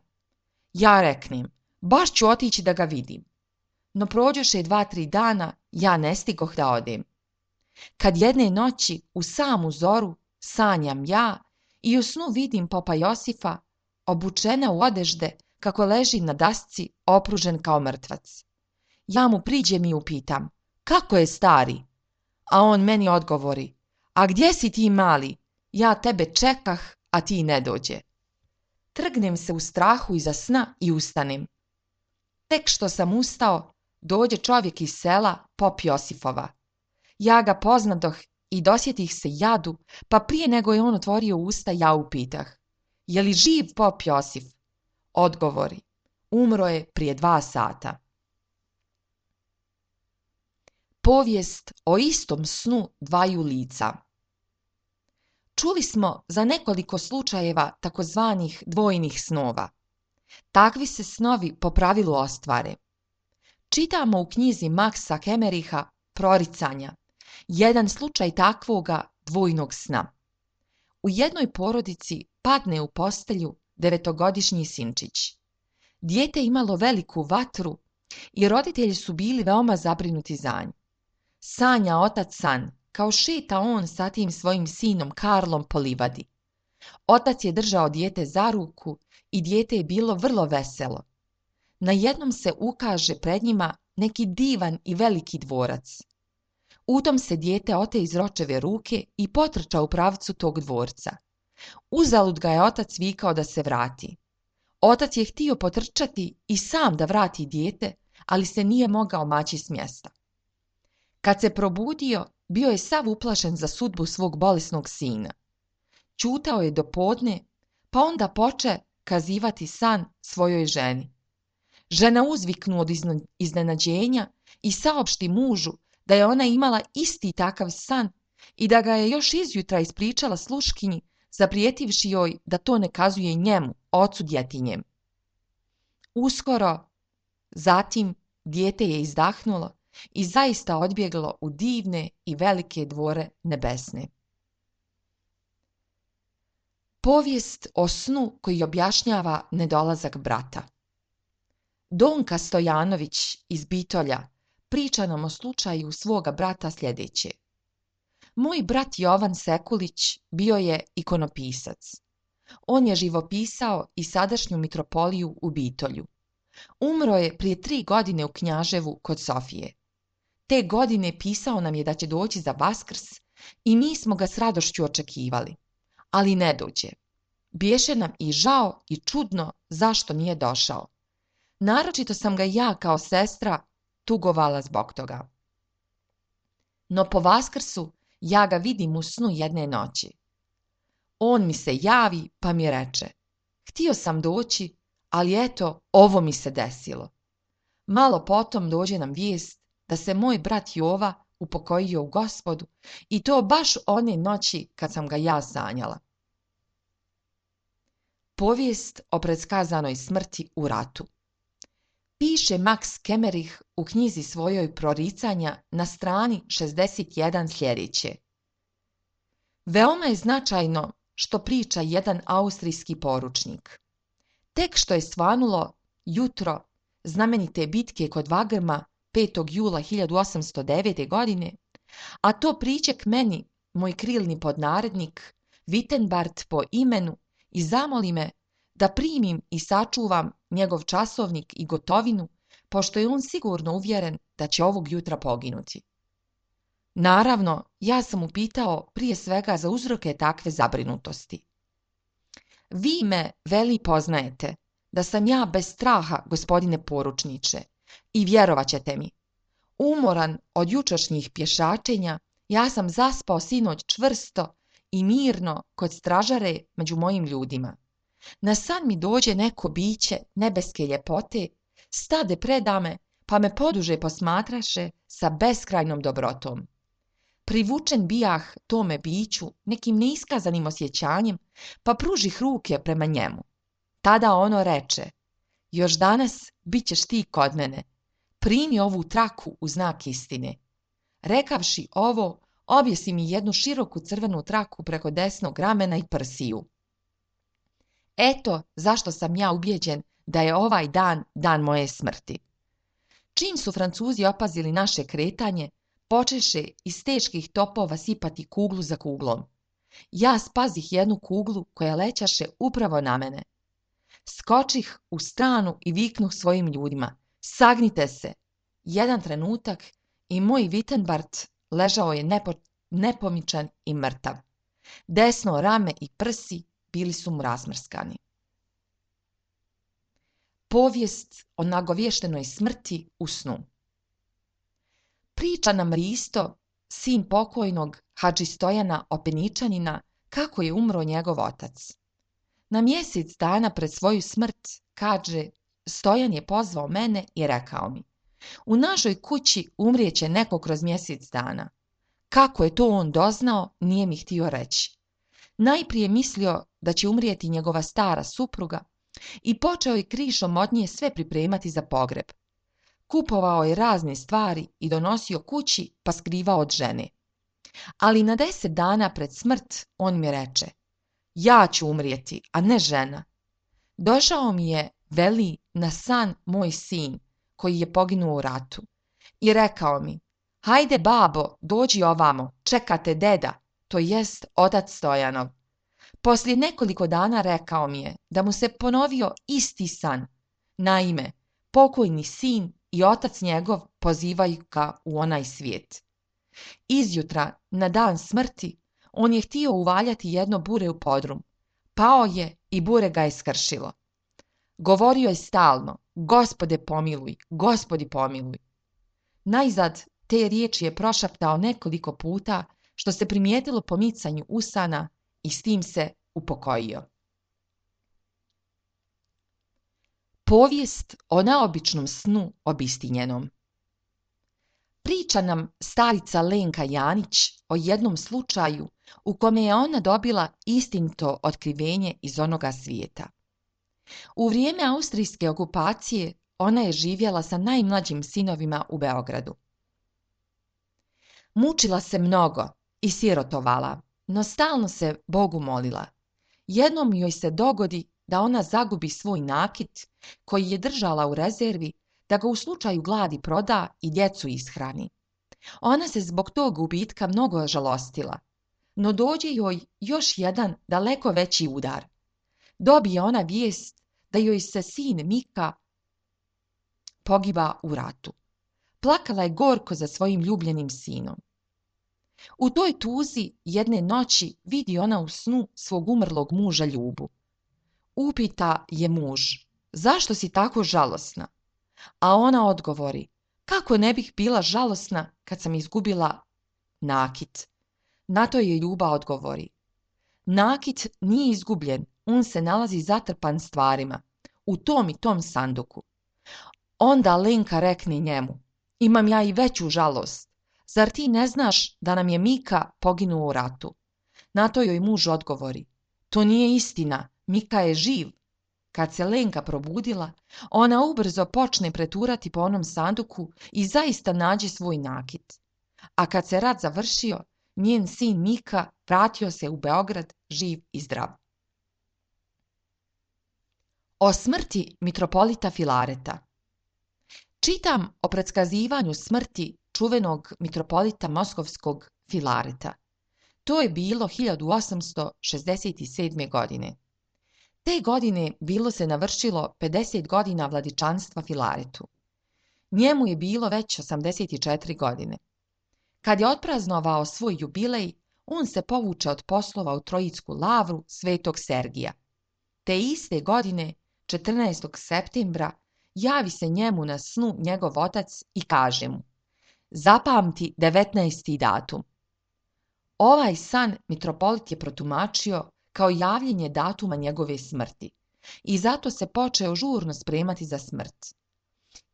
Ja reknem, baš ću otići da ga vidim. No prođoše 2-3 dana, ja ne stigoh da odem. Kad jedne noći u samu zoru sanjam ja i u snu vidim popa Josifa obučena u odežde kako leži na dasci opružen kao mrtvac. Ja mu priđem i upitam: kako je stari? A on meni odgovori: a gdje si ti mali? Ja tebe čekah, a ti ne dođe. Trgnem se u strahu iza sna i ustanem. Tek što sam ustao, dođe čovjek iz sela, pop Josifova. Ja ga poznadoh i dosjetih se jadu, pa prije nego je on otvorio usta, ja upitah: je li živ pop Josif? Odgovori: umro je prije 2 sata. Povijest o istom snu dvaju lica. Čuli smo za nekoliko slučajeva takozvanih dvojnih snova. Takvi se snovi po pravilu ostvare. Čitamo u knjizi Maxa Hemericha Proricanja jedan slučaj takvoga dvojnog sna. U jednoj porodici padne u postelju 9-godišnji sinčić. Dijete imalo veliku vatru i roditelji su bili veoma zabrinuti za nju. Sanja otac san, kao šeta on sa tim svojim sinom Karlom po livadi. Otac je držao dijete za ruku i dijete je bilo vrlo veselo. Najednom se ukaže pred njima neki divan i veliki dvorac. U tom se dijete ote iz očeve ruke i potrča u pravcu tog dvorca. Uzalud ga je otac vikao da se vrati. Otac je htio potrčati i sam da vrati dijete, ali se nije mogao maći s mjesta. Kad se probudio, bio je sav uplašen za sudbu svog bolesnog sina. Ćutao je do podne, pa onda poče kazivati san svojoj ženi. Žena uzviknu od iznenađenja i saopšti mužu da je ona imala isti takav san i da ga je još izjutra ispričala sluškinji, zaprijetivši joj da to ne kazuje njemu, ocu djetinjem. Uskoro, zatim, dijete je izdahnulo i zaista odbjeglo u divne i velike dvore nebesne. Povijest o snu koji objašnjava nedolazak brata. Donka Stojanović iz Bitolja priča nam o slučaju svoga brata sljedeće. Moj brat Jovan Sekulić bio je ikonopisac. On je živopisao i sadašnju mitropoliju u Bitolju. Umro je prije 3 godine u Knjaževu kod Sofije. Te godine pisao nam je da će doći za Vaskrs i mi smo ga s radošću očekivali. Ali ne dođe. Biješe nam i žao i čudno zašto nije došao. Naročito sam ga ja kao sestra tugovala zbog toga. No po Vaskrsu ja ga vidim u snu jedne noći. On mi se javi pa mi reče: htio sam doći, ali eto, ovo mi se desilo. Malo potom dođe nam vijest da se moj brat Jova upokojio u Gospodu i to baš one noći kad sam ga ja sanjala. Povijest o predskazanoj smrti u ratu. Piše Max Kemmerich u knjizi svojoj Proricanja na strani 61 sljedeće. Veoma je značajno što priča jedan austrijski poručnik. Tek što je svanulo jutro znamenite bitke kod Wagrma 5. jula 1809. godine, a to priček meni moj krilni podnarednik Wittenbart po imenu i zamoli me da primim i sačuvam njegov časovnik i gotovinu, pošto je on sigurno uvjeren da će ovog jutra poginuti. Naravno, ja sam upitao prije svega za uzroke takve zabrinutosti. Vi me, veli, poznajete, da sam ja bez straha, gospodine poručniče, i vjerovat ćete mi. Umoran od jučerašnjih pješačenja, ja sam zaspao sinoć čvrsto i mirno kod stražare među mojim ljudima. Na san mi dođe neko biće nebeske ljepote, stade predame, pa me poduže posmatraše sa beskrajnom dobrotom. Privučen bijah tome biću nekim neiskazanim osjećanjem, pa pružih ruke prema njemu. Tada ono reče: još danas bit ćeš ti kod mene, primi ovu traku u znak istine. Rekavši ovo, objesi mi jednu široku crvenu traku preko desnog ramena i prsiju. Eto zašto sam ja ubijeđen da je ovaj dan dan moje smrti. Čim su Francuzi opazili naše kretanje, počeše iz teških topova sipati kuglu za kuglom. Ja spazih jednu kuglu koja lećaše upravo na mene. Skočih u stranu i viknuh svojim ljudima: sagnite se! Jedan trenutak i moj Wittenbart ležao je nepomičan i mrtav. Desno rame i prsi bili su mu razmrskani. Povijest o nagovještenoj smrti u snu. Priča nam Risto, sin pokojnog Hadži Stojana Openičanina, kako je umro njegov otac. Na mjesec dana pred svoju smrt, kaže, Stojan je pozvao mene i rekao mi: u našoj kući umrijeće neko kroz mjesec dana. Kako je to on doznao, nije mi htio reći. Najprije mislio da će umrijeti njegova stara supruga i počeo je krišom od nje sve pripremati za pogreb. Kupovao je razne stvari i donosio kući pa skrivao od žene. Ali na 10 dana pred smrt on mi reče: ja ću umrijeti, a ne žena. Došao mi je, veli, na san moj sin koji je poginuo u ratu i rekao mi: hajde babo, dođi ovamo, čekate deda, to jest otac Stojanov. Poslije nekoliko dana rekao mi je da mu se ponovio isti san. Naime, pokojni sin i otac njegov pozivaju ga u onaj svijet. Izjutra, na dan smrti, on je htio uvaljati jedno bure u podrum. Pao je i bure ga je skršilo. Govorio je stalno: Gospode pomiluj, Gospodi pomiluj. Najzad te riječi je prošaptao nekoliko puta, što se primijetilo po micanju usana, i s tim se upokojio. Povijest o naobičnom snu obistinjenom. Priča nam starica Lenka Janić o jednom slučaju u kome je ona dobila istinito otkrivenje iz onoga svijeta. U vrijeme austrijske okupacije ona je živjela sa najmlađim sinovima u Beogradu. Mučila se mnogo i sirotovala, no stalno se Bogu molila. Jednom joj se dogodi da ona zagubi svoj nakit koji je držala u rezervi, da ga u slučaju gladi proda i djecu ishrani. Ona se zbog tog gubitka mnogo žalostila, no dođe joj još jedan daleko veći udar. Dobije ona vijest da joj se sin Mika pogiba u ratu. Plakala je gorko za svojim ljubljenim sinom. U toj tuzi jedne noći vidi ona u snu svog umrlog muža Ljubu. Upita je muž, zašto si tako žalosna? A ona odgovori, kako ne bih bila žalosna kad sam izgubila nakit? Na to je Ljuba odgovori, nakit nije izgubljen, on se nalazi zatrpan stvarima, u tom i tom sanduku. Onda Lenka rekne njemu, imam ja i veću žalost, zar ti ne znaš da nam je Mika poginuo u ratu? Na to joj muž odgovori, to nije istina, Mika je živ. Kad se Lenka probudila, ona ubrzo počne preturati po onom sanduku i zaista nađe svoj nakit. A kad se rat završio, njen sin Mika vratio se u Beograd živ i zdrav. O smrti mitropolita Filareta. Čitam o predskazivanju smrti čuvenog mitropolita moskovskog Filareta. To je bilo 1867. godine. Te godine bilo se navršilo 50 godina vladičanstva Filaretu. Njemu je bilo već 84 godine. Kad je otpraznovao svoj jubilej, on se povuče od poslova u Trojicku lavru Svetog Sergija. Te iste godine, 14. septembra, javi se njemu na snu njegov otac i kaže mu, zapamti 19. datum. Ovaj san mitropolit je protumačio kao javljenje datuma njegove smrti i zato se počeo žurno spremati za smrt.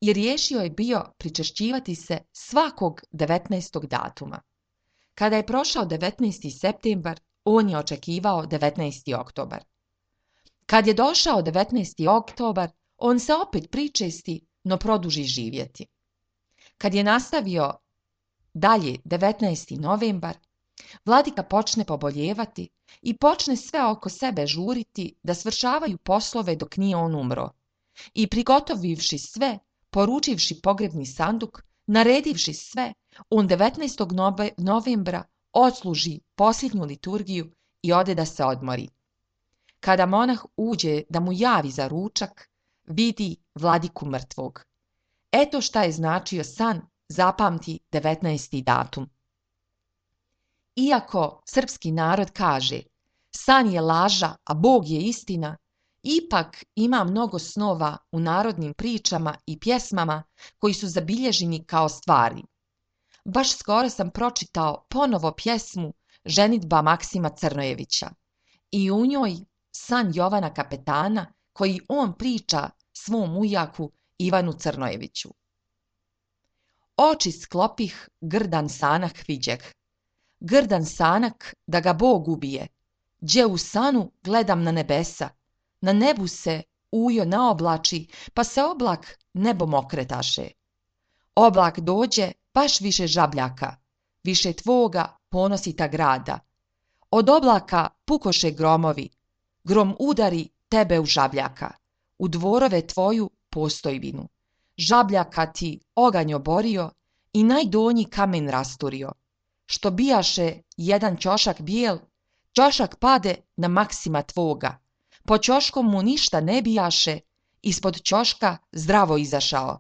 I riješio je bio pričešćivati se svakog 19. datuma. Kada je prošao 19. septembar, on je očekivao 19. oktobar. Kad je došao 19. oktobar, on se opet pričesti, no produži živjeti. Kad je nastavio dalje 19. novembar, vladika počne poboljevati i počne sve oko sebe žuriti da svršavaju poslove dok nije on umro. I prigotovivši sve, poručivši pogrebni sanduk, naredivši sve, on 19. novembra odsluži posljednju liturgiju i ode da se odmori. Kada monah uđe da mu javi za ručak, vidi vladiku mrtvog. Eto šta je značio san, zapamti 19. datum. Iako srpski narod kaže, san je laža, a Bog je istina, ipak ima mnogo snova u narodnim pričama i pjesmama koji su zabilježeni kao stvari. Baš skoro sam pročitao ponovo pjesmu Ženidba Maksima Crnojevića i u njoj san Jovana Kapetana koji on priča svom ujaku Ivanu Crnojeviću. Oči sklopih, grdan sanak viđeh. Grdan sanak da ga Bog ubije. Đe u sanu gledam na nebesa. Na nebu se ujo naoblači, pa se oblak nebom okretaše. Oblak dođe, baš više žabljaka, više tvoga ponosita grada. Od oblaka pukoše gromovi, grom udari tebe u žabljaka, u dvorove tvoju postojbinu. Žabljaka ti oganj oborio i najdonji kamen rasturio. Što bijaše jedan ćošak bijel, ćošak pade na Maksima tvoga. Po ćoškom mu ništa ne bijaše, ispod ćoška zdravo izašao.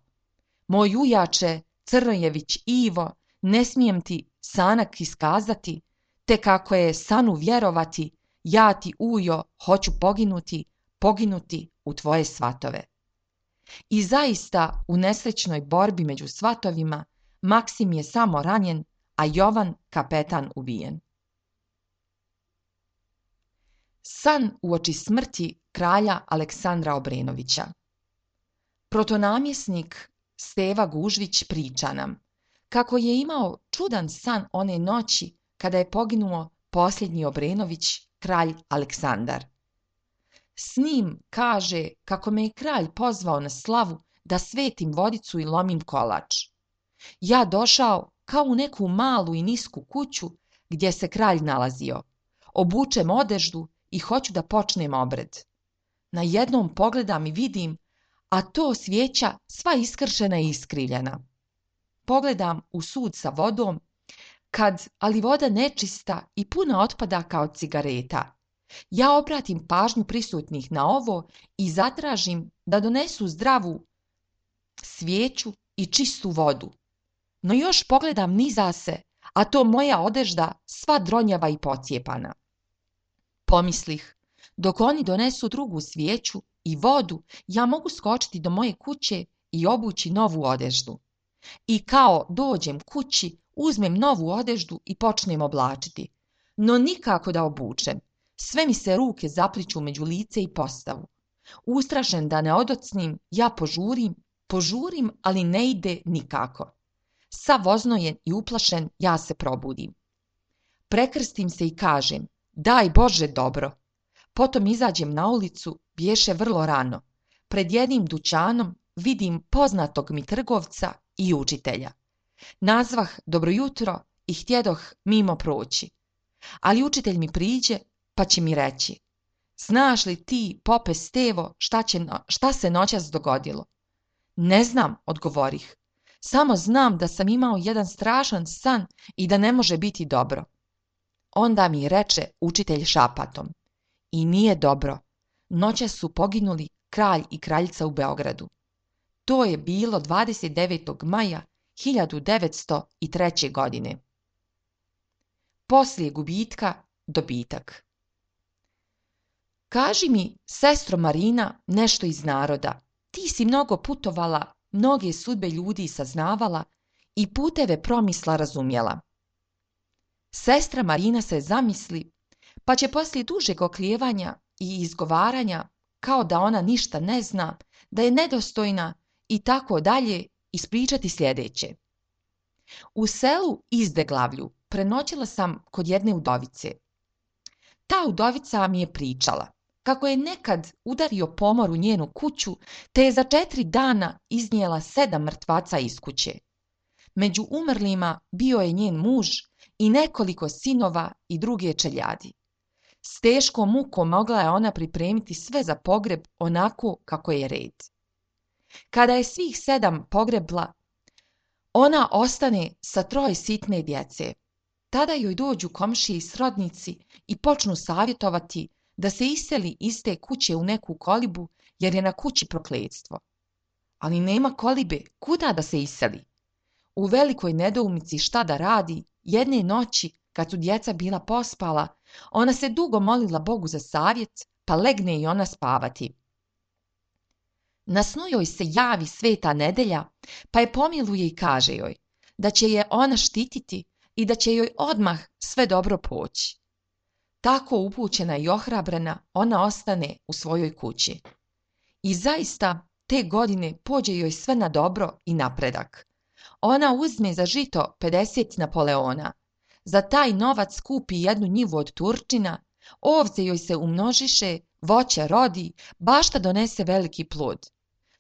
Moj ujače, Crnojević Ivo, ne smijem ti sanak iskazati, te kako je sanu vjerovati, ja ti ujo hoću poginuti u tvoje svatove. I zaista u nesrećnoj borbi među svatovima Maksim je samo ranjen, a Jovan kapetan ubijen. San uoči smrti kralja Aleksandra Obrenovića. Protonamjesnik Steva Gužvić priča nam kako je imao čudan san one noći kada je poginuo posljednji Obrenović, kralj Aleksandar. S njim kaže kako me je kralj pozvao na slavu da svetim vodicu i lomim kolač. Ja došao kao u neku malu i nisku kuću gdje se kralj nalazio. Obučem odeždu i hoću da počnem obred. Na jednom pogledam i vidim, a to svijeća sva iskršena i iskrivljena. Pogledam u sud sa vodom, ali voda nečista i puna otpadaka od cigareta. Ja obratim pažnju prisutnih na ovo i zatražim da donesu zdravu svijeću i čistu vodu. No još pogledam niza se, a to moja odežda sva dronjava i pocijepana. Pomislih, dok oni donesu drugu svijeću i vodu, ja mogu skočiti do moje kuće i obući novu odeždu. I kao dođem kući, uzmem novu odeždu i počnem oblačiti. No nikako da obučem. Sve mi se ruke zapliću među lice i postavu. Ustrašen da ne odocnim, ja požurim, ali ne ide nikako. Sav oznojen i uplašen, ja se probudim. Prekrstim se i kažem, daj Bože dobro. Potom izađem na ulicu, bješe vrlo rano. Pred jednim dućanom vidim poznatog mi trgovca i učitelja. Nazvah dobro jutro i htjedoh mimo proći. Ali učitelj mi priđe pa će mi reći, znaš li ti, pope Stevo, šta se noćas dogodilo? Ne znam, odgovorih. Samo znam da sam imao jedan strašan san i da ne može biti dobro. Onda mi reče učitelj šapatom, i nije dobro. Noćas su poginuli kralj i kraljica u Beogradu. To je bilo 29. maja 1903. godine. Poslije gubitka, dobitak. Kaži mi, sestro Marina, nešto iz naroda. Ti si mnogo putovala, mnoge sudbe ljudi saznavala i puteve promisla razumjela. Sestra Marina se zamisli, pa će poslije dužeg oklijevanja i izgovaranja, kao da ona ništa ne zna, da je nedostojna i tako dalje, ispričati sljedeće. U selu Izdeglavlju prenoćila sam kod jedne udovice. Ta udovica mi je pričala kako je nekad udario pomor u njenu kuću, te je za 4 dana iznijela 7 mrtvaca iz kuće. Među umrlima bio je njen muž i nekoliko sinova i druge čeljadi. S teškom mukom mogla je ona pripremiti sve za pogreb onako kako je red. Kada je svih 7 pogrebla, ona ostane sa 3 sitne djece. Tada joj dođu komšije i srodnici i počnu savjetovati da se iseli iz te kuće u neku kolibu, jer je na kući prokletstvo. Ali nema kolibe, kuda da se iseli? U velikoj nedoumici šta da radi, jedne noći, kad su djeca bila pospala, ona se dugo molila Bogu za savjet, pa legne i ona spavati. Na snu joj se javi Sveta Nedelja, pa je pomiluje i kaže joj da će je ona štititi i da će joj odmah sve dobro poći. Tako upućena i ohrabrena, ona ostane u svojoj kući. I zaista te godine pođe joj sve na dobro i napredak. Ona uzme za žito 50 Napoleona. Za taj novac kupi jednu njivu od Turčina, ovce joj se umnožiše, voće rodi, bašta donese veliki plod.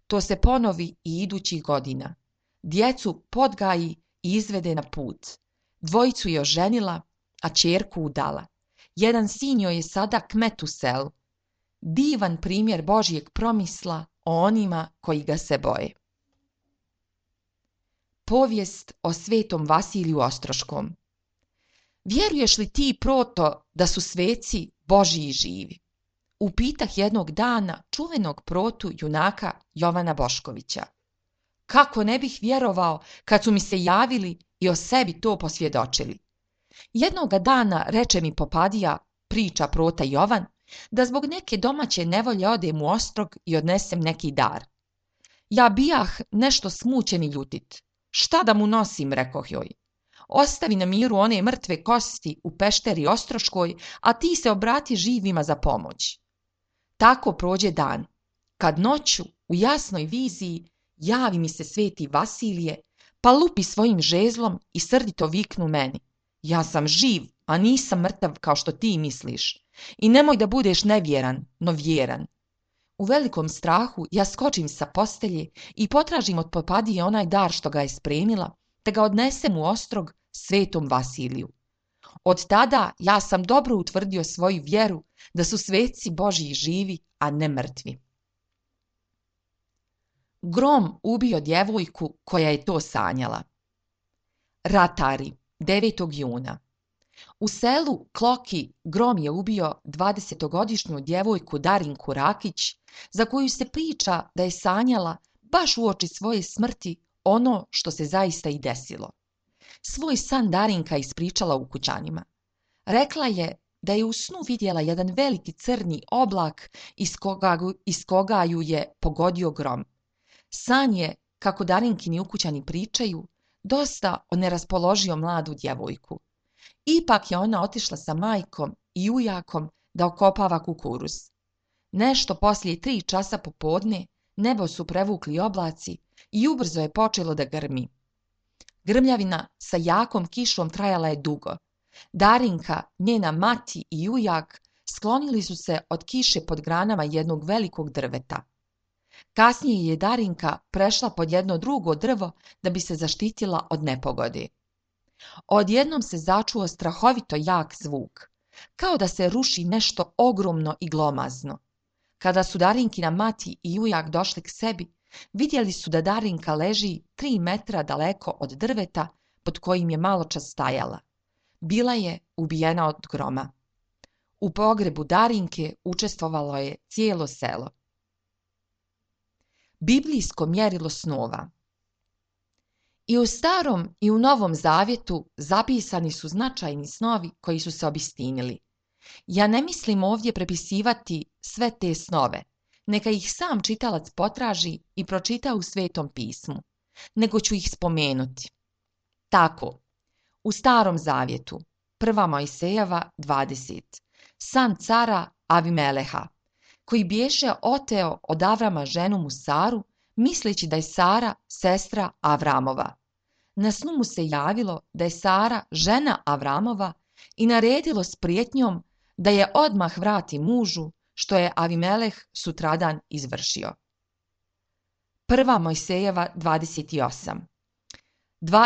To se ponovi i idućih godina. Djecu podgaji i izvede na put. 2 je oženila, a ćerku udala. Jedan sin joj je sada kmet u selu. Divan primjer Božjeg promisla o onima koji ga se boje. Povijest o svetom Vasiliju Ostroškom. Vjeruješ li ti, proto, da su sveci Božji živi? Upitah jednog dana čuvenog protu junaka Jovana Boškovića. Kako ne bih vjerovao kad su mi se javili i o sebi to posvjedočili? Jednoga dana reče mi popadija, priča prota Jovan, da zbog neke domaće nevolje odem u Ostrog i odnesem neki dar. Ja bijah nešto smućen i ljutit. Šta da mu nosim, rekoh joj. Ostavi na miru one mrtve kosti u pešteri Ostroškoj, a ti se obrati živima za pomoć. Tako prođe dan, kad noću u jasnoj viziji javi mi se sveti Vasilije, pa lupi svojim žezlom i srdito viknu meni. Ja sam živ, a nisam mrtav kao što ti misliš. I nemoj da budeš nevjeran, no vjeran. U velikom strahu ja skočim sa postelje i potražim od popadije onaj dar što ga je spremila, te ga odnesem u Ostrog svetom Vasiliju. Od tada ja sam dobro utvrdio svoju vjeru da su sveci Božji živi, a ne mrtvi. Grom ubio djevojku koja je to sanjala. Ratari, 9. juna. U selu Kloki grom je ubio 20-godišnju djevojku Darinku Rakić, za koju se priča da je sanjala baš uoči svoje smrti ono što se zaista i desilo. Svoj san Darinka ispričala ukućanima. Rekla je da je u snu vidjela jedan veliki crni oblak iz koga ju je pogodio grom. San je, kako Darinkini ukućani pričaju, dosta oneraspoložio mladu djevojku. Ipak je ona otišla sa majkom i ujakom da okopava kukuruz. Nešto poslije 3 časa popodne nebo su prevukli oblaci i ubrzo je počelo da grmi. Grmljavina sa jakom kišom trajala je dugo. Darinka, njena mati i ujak sklonili su se od kiše pod granama jednog velikog drveta. Kasnije je Darinka prešla pod jedno drugo drvo da bi se zaštitila od nepogode. Odjednom se začuo strahovito jak zvuk, kao da se ruši nešto ogromno i glomazno. Kada su Darinkina mati i ujak došli k sebi, vidjeli su da Darinka leži 3 metra daleko od drveta pod kojim je maločas stajala. Bila je ubijena od groma. U pogrebu Darinke učestvovalo je cijelo selo. Biblijsko mjerilo snova. I u Starom i u Novom Zavjetu zapisani su značajni snovi koji su se obistinili. Ja ne mislim ovdje prepisivati sve te snove, neka ih sam čitalac potraži i pročita u Svetom pismu, nego ću ih spomenuti. Tako, u Starom Zavjetu, 1. Mojsejeva 20, san cara Avimeleha, koji bješe oteo od Avrama ženu mu Saru, misleći da je Sara sestra Avramova. Na snu mu se javilo da je Sara žena Avramova i naredilo s prijetnjom da je odmah vrati mužu, što je Avimeleh sutradan izvršio. 1. Mojsejeva 28.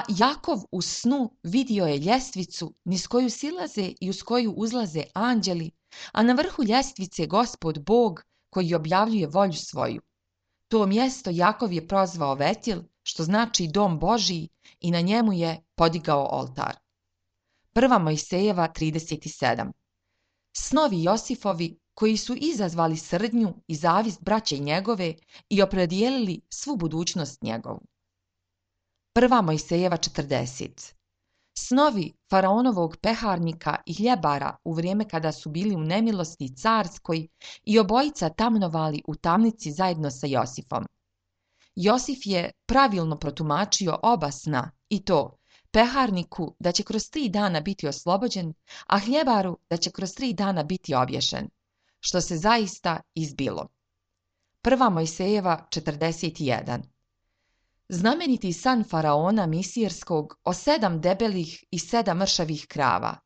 Jakov u snu vidio je ljestvicu niz koju silaze i uz koju uzlaze anđeli, a na vrhu ljestvice Gospod Bog koji objavljuje volju svoju. To mjesto Jakov je prozvao Vetil, što znači dom Božiji, i na njemu je podigao oltar. 1. Mojsejeva 37. Snovi Josifovi koji su izazvali srdnju i zavist braće njegove i opredijelili svu budućnost njegovu. 1. Mojsejeva 40. Snovi faraonovog peharnika i hljebara u vrijeme kada su bili u nemilosti carskoj i obojica tamnovali u tamnici zajedno sa Josifom. Josif je pravilno protumačio oba sna, i to peharniku da će kroz 3 dana biti oslobođen, a hljebaru da će kroz 3 dana biti obješen, što se zaista izbilo. 1. Mojsejeva 41. Znameniti san faraona Misirskog o 7 debelih i 7 mršavih krava.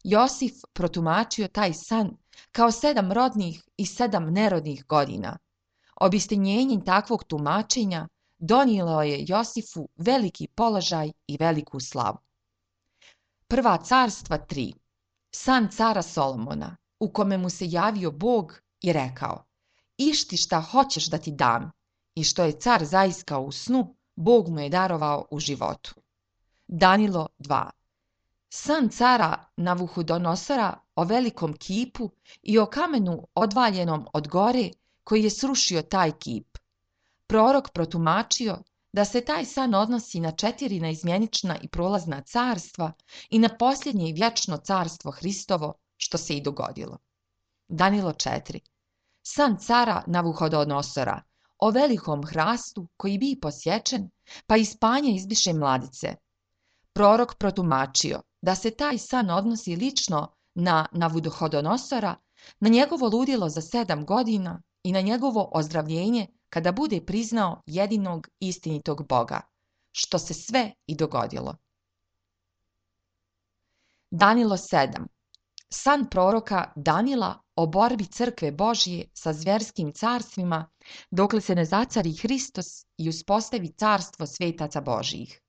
Josif protumačio taj san kao 7 rodnih i 7 nerodnih godina. Obistinjenjem takvog tumačenja donijelo je Josifu veliki položaj i veliku slavu. 1. Carstva 3. San cara Solomona, u kome mu se javio Bog i rekao: Išti šta hoćeš da ti dam, i što je car zaiskao u snu, Bog mu je darovao u životu. Danilo 2. San cara Navuhodonosora o velikom kipu i o kamenu odvaljenom od gore koji je srušio taj kip. Prorok protumačio da se taj san odnosi na 4 neizmjenična i prolazna carstva i na posljednje i vječno carstvo Hristovo, što se i dogodilo. Danilo 4. San cara Navuhodonosora o velikom hrastu koji bi posječen, pa iz panja izbiše mladice. Prorok protumačio da se taj san odnosi lično na Navuhodonosora, na njegovo ludilo za 7 godina i na njegovo ozdravljenje kada bude priznao jedinog istinitog Boga, što se sve i dogodilo. Danilo 7. San proroka Danila o borbi crkve Božje sa zvjerskim carstvima dokle se ne zacari Hristos i uspostavi carstvo svetaca Božjih.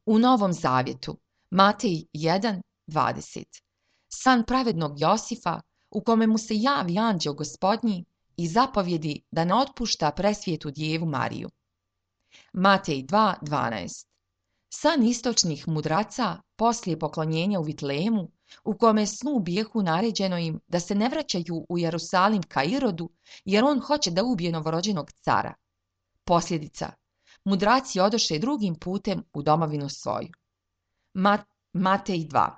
U Novom Zavjetu, Matej 1:20. San pravednog Josifa u kome mu se javi anđeo Gospodnji i zapovjedi da ne otpušta presvijetu djevu Mariju. Matej 2:12. San istočnih mudraca poslije poklonjenja u Vitlejemu, u kome snu bijehu naređeno im da se ne vraćaju u Jerusalim ka Irodu, jer on hoće da ubije novorođenog cara, Posljedica. Mudraci odoše drugim putem u domovinu svoju. Matej 2.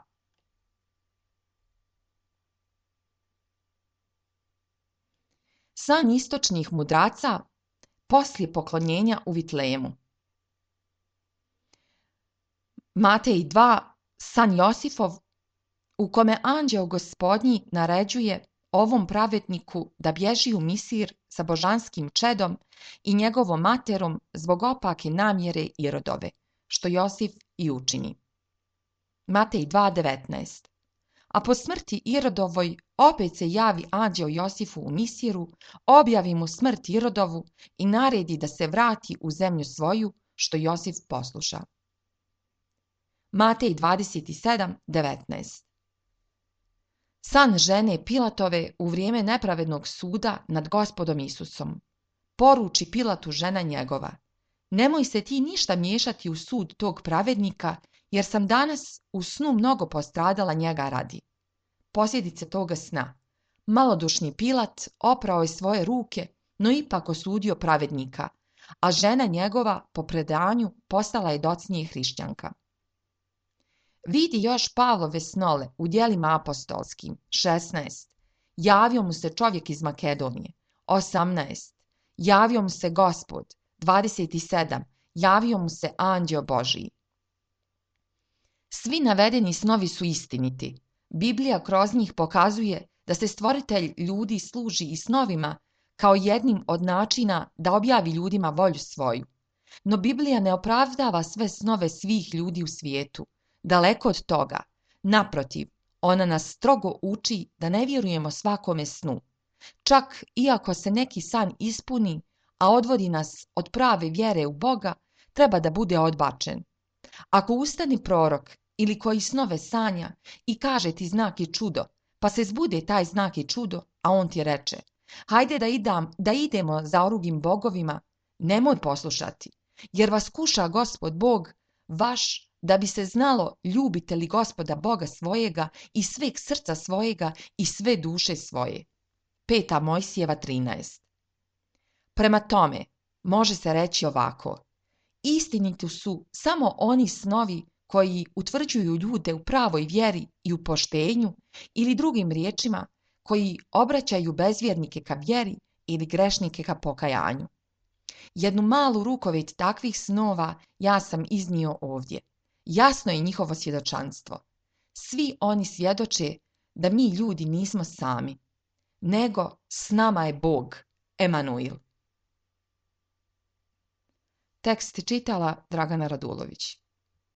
San istočnih mudraca poslije poklonjenja u Vitlejemu. Matej 2. San Josifov, u kome anđeo Gospodnji naređuje ovom pravedniku da bježi u Misir sa božanskim čedom i njegovom materom zbog opake namjere Irodove, što Josif i učini. Matej 2.19. A po smrti Irodovoj opet se javi anđeo Josifu u Misiru, objavi mu smrt Irodovu i naredi da se vrati u zemlju svoju, što Josif posluša. Matej 27.19. San žene Pilatove u vrijeme nepravednog suda nad Gospodom Isusom. Poruči Pilatu žena njegova: nemoj se ti ništa miješati u sud tog pravednika, jer sam danas u snu mnogo postradala njega radi. Posljedice toga sna. Malodušni Pilat oprao je svoje ruke, no ipak osudio pravednika, a žena njegova po predanju postala je docnije hrišćanka. Vidi još Pavlove snole u djelima apostolskim. 16. Javio mu se čovjek iz Makedonije. 18. Javio mu se Gospod. 27. Javio mu se anđeo Božiji. Svi navedeni snovi su istiniti. Biblija kroz njih pokazuje da se stvoritelj ljudi služi i snovima kao jednim od načina da objavi ljudima volju svoju. No Biblija ne opravdava sve snove svih ljudi u svijetu. Daleko od toga. Naprotiv, ona nas strogo uči da ne vjerujemo svakome snu. Čak iako se neki san ispuni, a odvodi nas od prave vjere u Boga, treba da bude odbačen. Ako ustani prorok ili koji snove sanja i kaže ti znak i čudo, pa se zbude taj znak i čudo, a on ti reče: hajde da idemo za orugim bogovima, nemoj poslušati, jer vas kuša Gospod Bog vaš, da bi se znalo ljubite li Gospoda Boga svojega i sveg srca svojega i sve duše svoje. 5. Mojsijeva 13. Prema tome, može se reći ovako: istiniti su samo oni snovi koji utvrđuju ljude u pravoj vjeri i u poštenju, ili drugim riječima, koji obraćaju bezvjernike ka vjeri ili grešnike ka pokajanju. Jednu malu rukovet takvih snova ja sam iznio ovdje. Jasno je njihovo svjedočanstvo. Svi oni svjedoče da mi ljudi nismo sami, nego s nama je Bog, Emanuil. Tekst čitala Dragana Radulović.